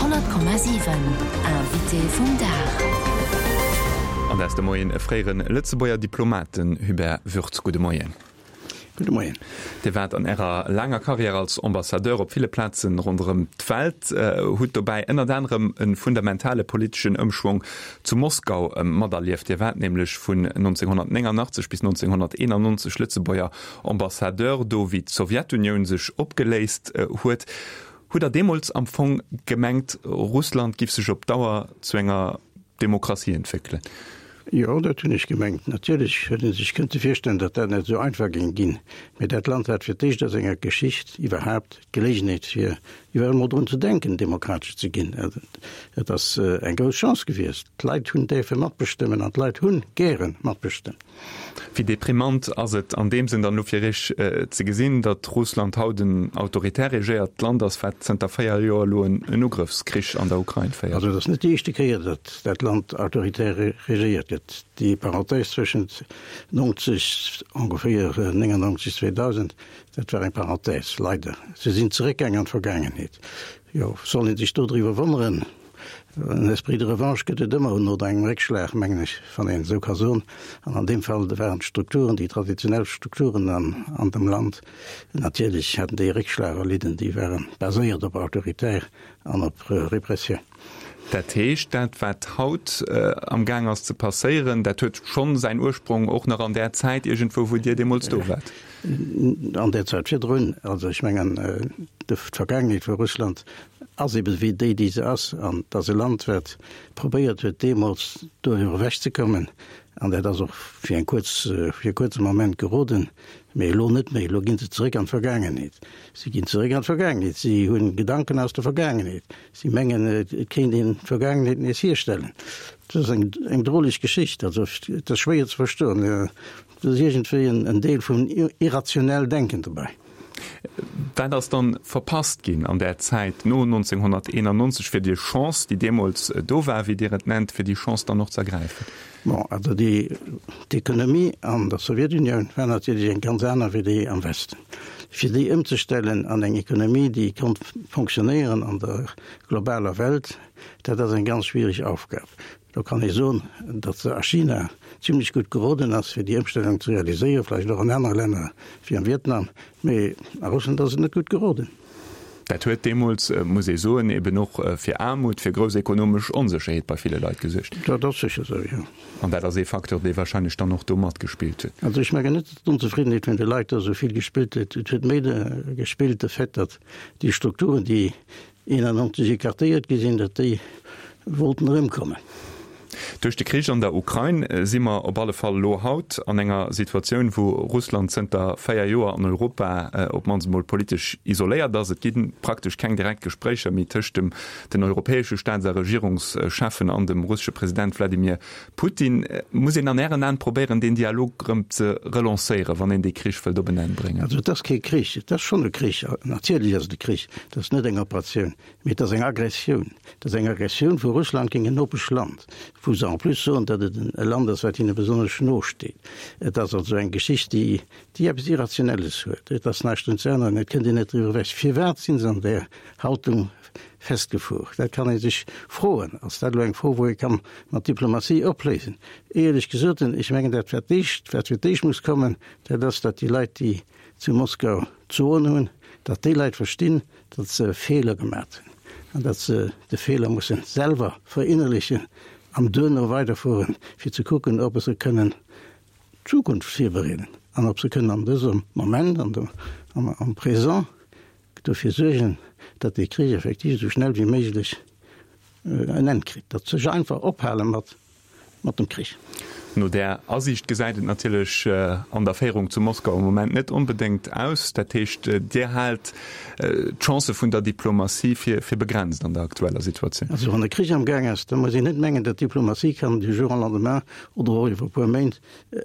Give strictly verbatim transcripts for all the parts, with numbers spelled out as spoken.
Honnert Komma siwen, Invité vum Dag. An dat ass de Moien e fréiere Lëtzebuerger Diplomat, den Hubert Würtz. Gudde Moien. Gudde Moien. Dir waart an Ärer laanger Karriär als Ambassadeur op ville Plazen ronderëm d'Welt, hutt dobäi ënnert anerem e fundamentale politeschen Ëmschwong zu Moskau materlieft. Dir waart nämlech vun nonzénghonnertnéngannachtzeg bis nonzénghonnerteenannonzeg Lëtzebuerger Ambassadeur do, wéi d'Sowjetunioun sech opgeléist huet. Hutt Der deemools am Fong gemengt, Russland giff sech op Dauer zu enger Demokratie entwéckelen? Jo, dat hunn ech gemengt. Natierlech huet ee sech kënnte virstellen, datt dat net esou einfach géing ginn. Mee dat Land hat fir d'éischt a senger Geschicht iwwerhaapt d'Geleegenheet, fir iwwerhaapt emol drun ze denken, demokratesch ze ginn. Et ass eng grouss Chance gewiescht. D'Leit hunn däerfe matbestëmmen an d'Leit hu gäre matbestëmmt. Wéi deprimant ass et an deem Sënn dann elo fir Iech ze gesinn, datt Russland haut en autoritär regéiert Land ass, wat zënter véier Joer elo en Ugrëffskrich an der Ukrain féiert? Also et ass net déi éischte Kéier, datt dat Land autoritär regéiert gëtt. Déi Parenthèse zwëschent nonzeg, ongeféier néngannonzeg, zweedausend, dat war eng Parenthèse, leider. Se sinn zeréckgaang an d'Vergaangenheet. Jo, soll ee sech dodriwwer wonneren? En Esprit de revanche gëtt et ëmmer no engem Réckschlag, mengen ech, wann een esou ka soen. An an deem Fall waren d'Strukturen, déi traditionell Strukturen an, an dem Land, natierlech haten déi e Réckschlag erlidden, déi ware baséiert op autoritär an op Repressioun. Dat heescht, dat wat haut am Gaang ass ze passéieren, dat huet schonn säin Ursprong och nach an där Zäit iergendwou, wou Dir deemools do waart? An där Zäit virdrun. Also ech mengen, d'Vergaangenheet vu Russland ass ebe wéi déi, déi se ass. An et ass e Land, wat probéiert huet, deemools doriwwer ewechzekommen. An dat ass och fir eng kuerz, fir e kuerze Moment geroden, mee elo net méi. Elo gi se zeréck an d'Vergaangenheet. Si ginn zeréck an d'Vergaangenheet. Si hu Gedanken aus der Vergaangenheet. Si mengen, et kéint een d'Vergaangenheet nees hierstellen. Dat ass eng, eng droleg Geschicht. Also, et ass schwéier ze verstoen. Et ass iergendwéi en Deel vum irrationell Denken dobäi. Wat ass dann verpasst ginn an där Zäit no nonzénghonnerteenannonzeg, fir déi Chance, déi deemools do war, wéi Dir et nennt, fir déi Chance dann och ze ergräifen? Bon, also déi, d'Ekonomie an der Sowjetunioun war natierlech eng ganz aner wéi déi am Westen. Fir déi ëmzestellen an eng Ekonomie, déi konnt fonctionnéieren an der globaler Welt, dat ass eng ganz schwierig Aufgab. Do kann ee soen, datt se a China zimlech gutt geroden ass, fir déi Ëmstellung ze realiséieren, vläicht och an anere Länner wéi am Vietnam, mee a Russland ass et net gutt geroden. Dat huet deemools, muss ee soen, eben och fir Aarmut, fir grouss ekonomesch Onsécherheet bei ville Leit gesuergt. Dat ass sécher esou, jo. An dat ass ee Facteur, dee wahrscheinlech dann och do matgespillt huet. Also ech mengen net, datt d'Onzefriddenheet vun de Leit do esou vill gespillt huet. Et huet méi gespillt de Fait, datt déi Strukturen, déi eenannonzeg écartéiert gi sinn, datt déi wollten erëmkommen. Duerch de Krich an der Ukrain si mer op alle Fall elo haut an enger Situatioun, wou Russland zënter véier Joer an Europa op d'mannst emol politesch isoléiert ass. Et gi praktesch keng direkt Gespréicher méi tëscht dem den europäesche Staats a Regierungscheffen an dem russesche President Wladimir Putin. Muss een an Ären Aen probéieren, deen Dialog erëm ze relancéieren, wann een dee Krich wëllt op en Enn bréngen? Also et ass kee Krich, et ass schonn e Krich, natierlech ass et e Krich, et ass net eng Operatioun, mee et ass eng Aggressioun. Et ass eng Aggressioun vu Russland géint en Nopeschland, wou se en plus soen, datt et e Land ass, wat hinne besonnesch no steet. Et ass also eng Geschicht, déi déi eppes Irrationelles huet. Et ass näischt drun ze änneren, et kënnt een net driwwer ewech. Firwat si se an där Haltung festgefuer? Dat kann ee sech froen. Ass dat elo eng Fro, wou ee ka mat Diplomatie opléisen? Éierlech gesot, ech mengen, dat wat d'éischt, wat fir d'éischt muss kommen, dat ass, datt déi Leit, déi zu Moskau d'Soen hunn, datt déi Leit verstinn, datt se e Feeler gemat hunn an datt se de Feeler musse selwer verinnerlechen an duerno weiderfueren, fir ze kucken, ob se kënnen d'Zukunft virbereeden an ob se kënnen an dësem Moment, an dem, am, am Présent dofir suergen, datt dee Krich effektiv esou schnell wéi méiglech en Enn kritt, datt se sech einfach ophale mat, mat dem Krich. No där Asiicht gesäit et natierlech an der Féierung zu Moskau am Moment net onbedéngt aus. Dat heescht, Dir haalt d'Chancë vun der Diplomatie fir begrenzt an der aktueller Situatioun? Also wann e Krich am Gaang ass, da muss een net mengen, datt d'Diplomatie kann du jour au lendemain oder och iwwer e puer Méint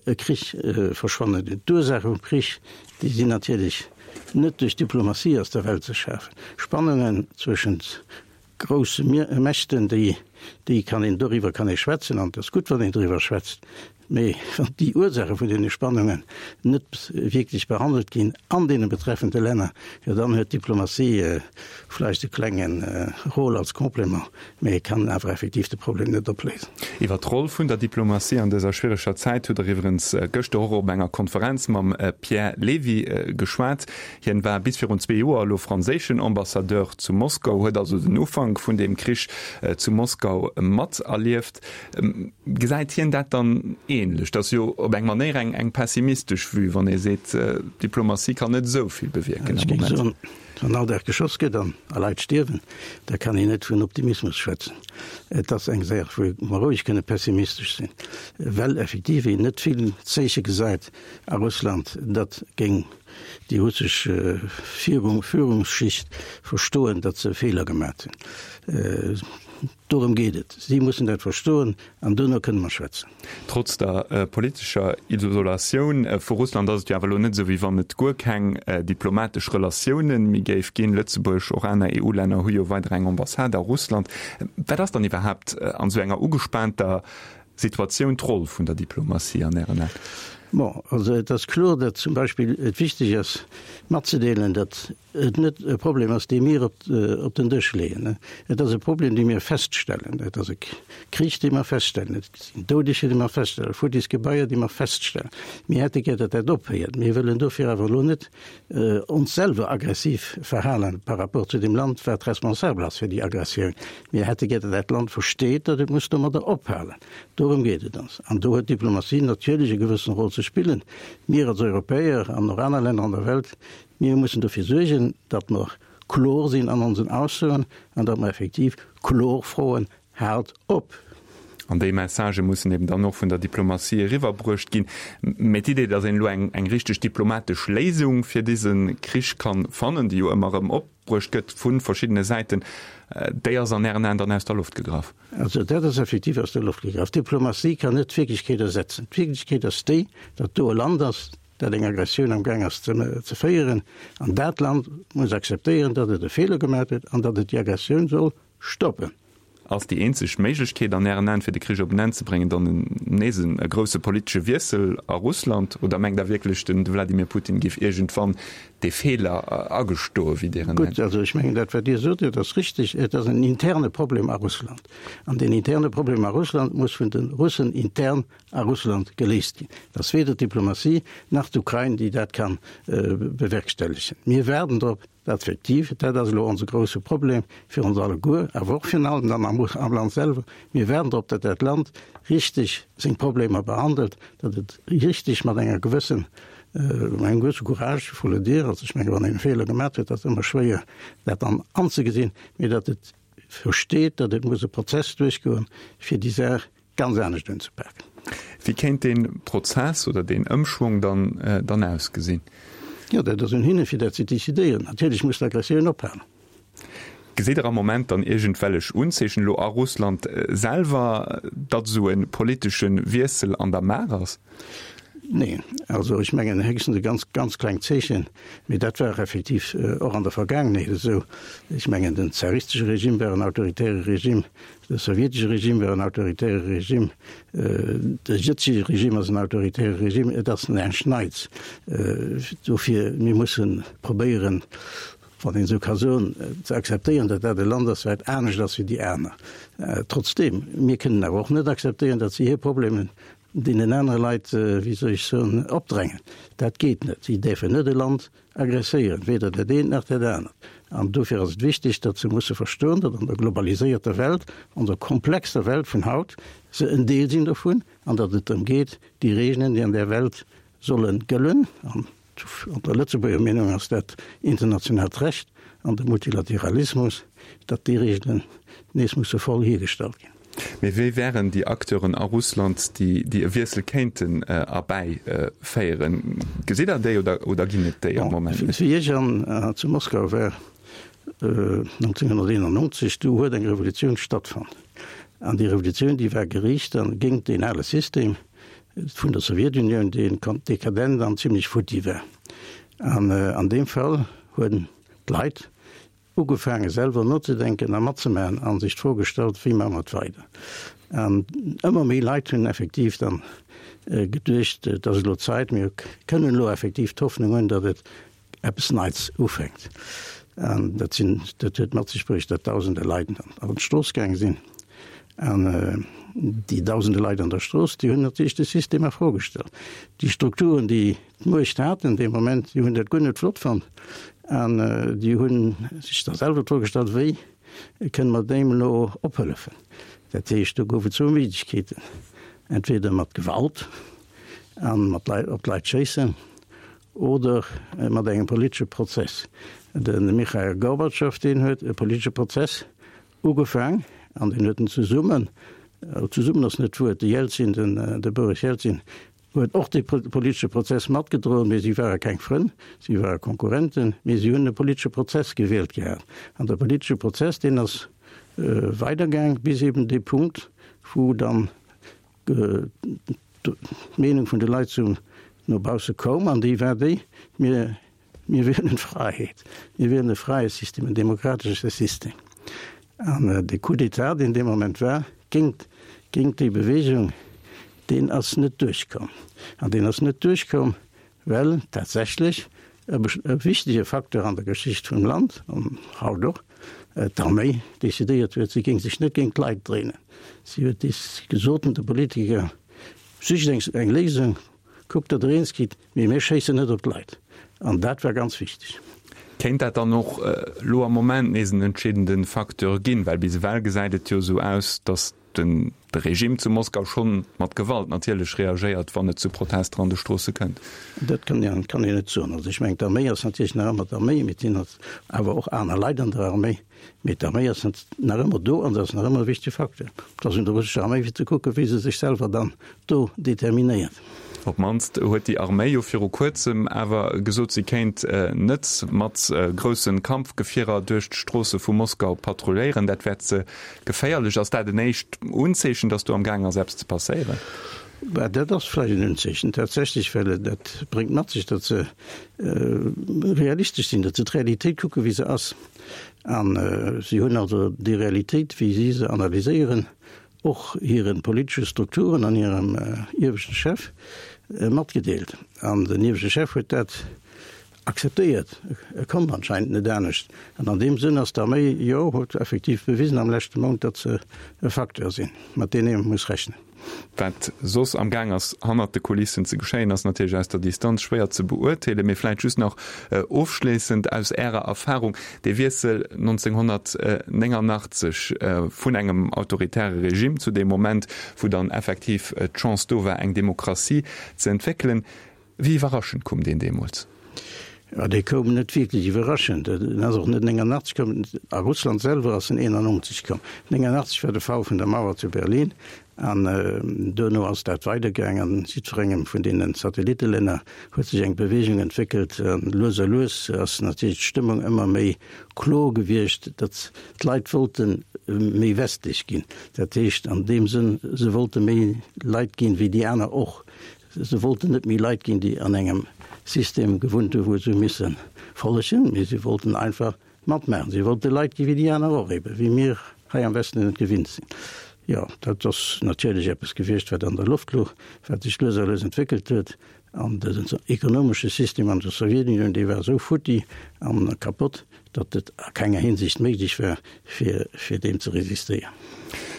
e Krich verschwannen. D'Ursaache vum Krich, déi sinn natierlech net duerch Diplomatie aus der Welt ze schafen. Spannungen zwëschent grousse Mächten, déi, déi kann een, doriwwer kann ee schwätzen an et ass gutt, wann een doriwwer schwätzt, Mee wann déi Ursaache vun deene Spannungen net wierklech behandelt ginn an deene betreffende Länner, jo dann huet d'Diplomatie vläicht e klenge Rôle als Complément, mee kann awer effektiv de Problem net opléisen. Iwwer d'Roll vun der Diplomatie an dëser schwiereger Zäit hutt Der iwwerens gëschter och op enger Konferenz mam Pierre Levy geschwat. Hien war bis virun zwee Joer elo franséischen Ambassadeur zu Moskau, huet also den Ufank vun deem Krich zu Moskau materlieft. Gesäit hien dat dann ähnlech? Dat ass jo op eng Manéier eng eng pessimistesch Vue, wann ee seet, d'Diplomatie kann net esou vill bewierken am Moment. Ech géing soen, wann all Dag geschoss gëtt an a Leit stierwen, da kann een net vun Optimismus schwätzen. Et ass eng Saach, wou mer roueg kënne pessimistesch sinn, well effektiv een net vill Zeeche gesäit a Russland, datt géing déi russesch Führungsschicht verstoen, datt se e Feeler gemat hunn. Dorëm geet et. Si mussen dat verstoen an duerno kënne mer schwätzen. Trotz der politescher Isolatioun vu Russland ass et jo awer elo net esou, wéi wann et guer keng diplomatesch Relatioune méi géif ginn. Lëtzebuerg, och aner E U-Länner hu jo weider eng Ambassade a Russland. Wat ass dann iwwerhaapt an esou enger ugespaanter Situatioun d'Roll vun der Diplomatie an Ären Aen? Bon, also et ass kloer, datt zum Beispill et wichteg ass matzedeelen, datt et net e Problem ass, dee mir op op den Dësch leeën. Et ass e Problem, dee mir feststellen. Et ass e Krich, dee mer feststellen. Et sinn Doudeger, déi mer feststellen, futtis Gebaier, déi mer feststellen. Mir hätte gär, datt dat ophéiert. Mir wëllen dofir awer elo net ons selwer aggressiv verhalen par rapport zu deem Land, wat responsabel ass fir déi Aggressioun. Mir hätte gär, datt dat Land versteet, datt et muss domadder ophalen. Dorëm geet et ons. An do huet d'Diplomatie natierlech e gewëssen Rôle ze spillen. Mir als Europäer an och aner Länner an der Welt, mir mussen dofir suergen, datt mer kloer sinn an onsen Aussoen an datt mer effektiv kloer froen, Haalt op! An déi Messagë mussen eben dann och vun der Diplomatie eriwwerbruecht ginn. Mä d'Idee, datt een elo eng eng richteg diplomatesch Léisung fir dëse Krich kann fannen, déi jo ëmmer erëm opbruecht gëtt vu verschiddene Säiten, déi ass an Ären Aen dann aus der Loft gegraff? Also dat ass effektiv aus der Loft gegraff. Diplomatie kann net d'Wierklechkeet ersetzen. D'Wierklechkeet ass déi, datt do e Land ass, dat eng Aggressioun am Gaang ass ze féieren, an dat Land muss akzeptéieren, datt et e Feeler gemaach huet an datt et déi Aggressioun soll stoppen. Ass déi eenzeg Méiglechkeet an Ären Aen, fir de Krich op en Enn ze bréngen, dann nees e grousse politesche Wiessel a Russland? Oder mengt Der wierklech, de Wladimir Putin géif iergendwann dee Feeler agestoen, wéi Dir en nennt? Gutt, also ech mengen, dat wat Dir sot, dat ass richteg. Et ass en interne Problem a Russland. An deen interne Problem a Russland muss vun de Russen intern a Russland geléist ginn. Et ass weder d'Diplomatie nach d'Ukrain, déi dat ka bewerkstellegen. Mir waarden drop, dat effektiv, dat ass elo onse grousse Problem fir ons alleguer, awer och virun allem dann am Land selwer, mir waarden drop, datt dat Land richteg seng Problemer behandelt, datt et richteg mat enger gewëssen, mat engem gewësse Courage, il faut le dire, also ech menge wann een e Feeler gemaach huet, ass et ëmmer schwéier dat dann anzegesinn, mee datt et versteet, datt et muss e Prozess duerchgoen, fir déi Saach ganz anescht unzepaken. Wéi kéint dee Prozess oder deen Ëmschwong dann dann ausgesinn? Jo, dat ass un hinne fir dat ze decidéieren. Natierlech muss d'Aggressioun ophalen. Gesitt Der am Moment dann iergendwellech Unzeechen elo a Russland selwer, datt esou e politesche Wiessel an der Maach ass? Neen, also ech mengen héchstens e ganz, ganz klengt Zeechen, mee dat war effektiv och an der Vergaangenheet esou. Ech mengen, den zaristesche Regime war en autoritäre Regime, de sowjetesche Regime war en autoritäre Regime, de jëtzege Regime ass en autoritäre Regime. Et ass näischt Neits. Dofir, mir musse probéieren, wann een esou ka soen, ze akzeptéieren, datt dat e Land ass, wat anescht ass wéi déi aner. Trotzdeem, mir kënnen awer och net akzeptéieren, datt si hir Problemen deenen anere Leit, wéi soll ech soen, opdrängen. Dat geet net. Si däerfen net e Land aggresséieren, weder dat eent nach dat anert. An dofir ass et wichteg, datt se musse verstoen, datt an der globaliséierter Welt, onser komplexer Welt vun haut, se en Deel sinn dovun an datt et drëm geet, déi Regeln, déi an där Welt solle gëllen, an an der Lëtzebuerger Meenung ass dat internationaalt Recht an de Multilateralismus, datt déi Regeln nees musse voll hiergestallt ginn. Mee wie wären déi Acteuren a Russland, déi e Wiessel kéinten erbäiféieren? Gesitt Der déi oder ginn et déi am Moment net? Wéi ech an zu Moskau war nonzénhunnerteenannonzeg, du huet eng Revolutioun stattfonnt. An déi Revolutioun, déi war geriicht géint deen ale System vun der Sowjetunioun, deen dekadent an zimlech futti war. An an deem Fall hunn d'Leit ugefaange selwer nozedenken a matzemaachen a sech d'Fro gestallt, wéi maache mer et weider? An ëmmer méi Leit hunn effektiv dann geduecht, et ass elo Zäit, mir kënnen elo effektiv d'Hoffnung hunn, datt et eppes Neits ufänkt. An dat sinn, dat huet mat sech bruecht, datt dausende Leit an d'Strooss gaange sinn. An déi dausende Leit an der Strooss, déi hunn natierlech de System a Fro gestallt. Déi Strukturen, déi d'Muecht haten dee Moment, déi hunn dat guer net flott fonnt an déi hu sech da selwer d'Fro gestallt, Wéi kënne mer deem elo ophëllefen? Dat heescht, do gouf et zwou Méiglechkeeten, entweder mat Gewalt a mat Leit, op d'Leit schéissen, oder mat engem politesche Prozess. De Michail Gorbatschow, deen huet e politesche Prozess ugefaang an deen huet en zesummen, zesummen ass net d'Wuert, de Jelzin, den de Boris Jelzin huet och dee politesche Prozess matgedroen, mee si ware keng Frënn, si ware Konkurrenten, mee si hunn e politesche Prozess gewielt gehat. An de politesche Prozess, deen ass weidergaang bis eben dee Punkt, wou dann d'Meenung vun de Leit zum no bausse koum, an déi war déi, Mir, mir wielen d'Fräiheet, mir wielen e fräie System, en demokratesche System. An de Coup d'État, deen dee Moment war, géingt, géingt déi Bewegung, deen ass net duerchkomm. An deen ass net duerchkomm, well tatsächlech e wichtege Facteur an der Geschicht vum Land, an haut och, d'Arméi decidéiert huet, si géing sech net géint d'Leit dréinen. Si huet gesot de Politiker, Sicht eng Léisung, kuckt, datt Der eens gitt, mee mir schéissen net op d'Leit. An dat war ganz wichteg. Kéint dat dann och elo am Moment nees en entscheedende Facteur ginn? Well bis ewell gesäit et jo esou aus, datt de Regime zu Moskau schonn mat Gewalt natierlech reagéiert, wann et zu Protester an de Stroosse kënnt. Dat kann een net soen. Also ech mengen, d'Arméi ass natierlech nach ëmmer d'Arméi, mee et sinn awer och aner Leit an der Arméi. Mee d'Arméi ass nach ëmmer do an se ass nach ëmmer e wichtege Facteur. Et ass un der russescher Arméi fir ze kucken, wéi se sech selwer dann do determinéiert. Op d'mannst huet déi Arméi jo viru kuerzem awer gesot, si kéint net mat grousse Kampfgefierer duerch d'Stroosse vu Moskau patrulléieren. Dat wär ze geféierlech. Ass dat en éischt Unzeechen, datt do am gaang ass eppes ze passéieren? Bah, dat ass vläicht en Unzeechen tatsächlech, well dat bréngt mat sech, datt se realistesch sinn, datt se d'Realitéit kucken, wéi se ass. A si hunn also déi Realitéit, wéi si se analyséieren, och hire politesche Strukturen an hirem ieweschte Chef matgedeelt. An den ieweschte Chef huet dat akzeptéiert. E konnt anscheinend net anescht. An an deem Sënn ass d'Arméi, jo, huet effektiv bewisen am leschte Mount, datt se e Facteur sinn, mat deem ee muss rechnen. Wat soss am Gaang ass hannert de Kulissen ze geschéien, ass natierlech aus der Distanz schwéier ze beurteelen. Mee vläit just nach ofschléissend aus Ärer Erfahrung, Dee Wiessel nonzénghonnertnéngannachtzeg vun engem autoritäre Regime zu deem Moment, wou dann effektiv d'Chance do war, eng Demokratie ze entwéckelen, wéi iwwerraschend koum deen deemools? Jo, dee koum net wierklech iwwerraschend. En ass och net néngannachtzeg komm. A Russland selwer ass en eenannonzeg komm. Néngannachtzeg war de Fall vun der Mauer zu Berlin an duerno ass dat weidergaang. An jiddwerengem vun deene Satellittelänner huet sech eng Beweegung entwéckelt. An lues a lues ass natierlech d'Stëmmung ëmmer méi kloer gewiescht, datt d'Leit wollte méi westlech ginn. Dat heescht an deem Sënn, se wollte méi Leit ginn, wéi déi aner och. Se wollten net méi Leit ginn, déi an engem System gewunnt hu wou se hu misse follegen, mee se wollten einfach matmaachen. Se wollte Leit gi wéi déi aner och, ebe wéi mir hei am Westen et gewinnt sinn. Jo, dat ass natierlech eppes gewiescht, wat an der Loft louch, wat sech lues a lues entwéckelt huet. An dësen ekonomesche System an der Sowjetunioun, dee war esou futti an kapott, datt et a kenger Hinsicht méiglech war, fir fir deem ze resistéieren.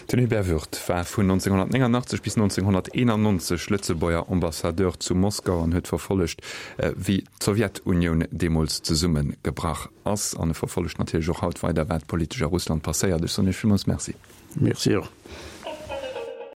Den Hubert Würth war vun nonzénghonnertnéngannachtzeg bis nonzénghonnerteenannonzeg Lëtzebuerger Ambassadeur zu Moskau an huet verfollegt, wéi d'Sowjetunioun deemools zesummegebrach ass. An e verfollegt natierlech och haut weider, wat politesch a Russland passéiert. Ech soen Iech villmools Merci. Merci och.